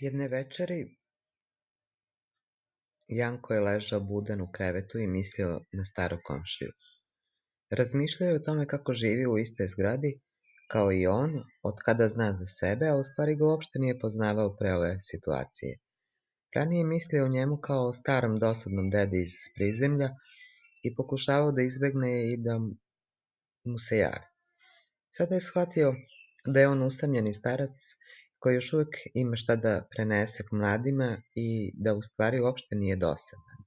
Jedne večeri Janko je ležao budan u krevetu i mislio na starog komšiju. Razmišljao je o tome kako živi u istoj zgradi, kao i on, od kada zna za sebe, a u stvari ga uopšte nije poznavao pre ove situacije. Ranije je mislio o njemu kao o starom dosadnom dedi iz prizemlja i pokušavao da izbegne i da mu se javi. Sada je shvatio da je on usamljeni starac koji još uvijek ima šta da prenese k mladima i da u stvari uopšte nije dosadan.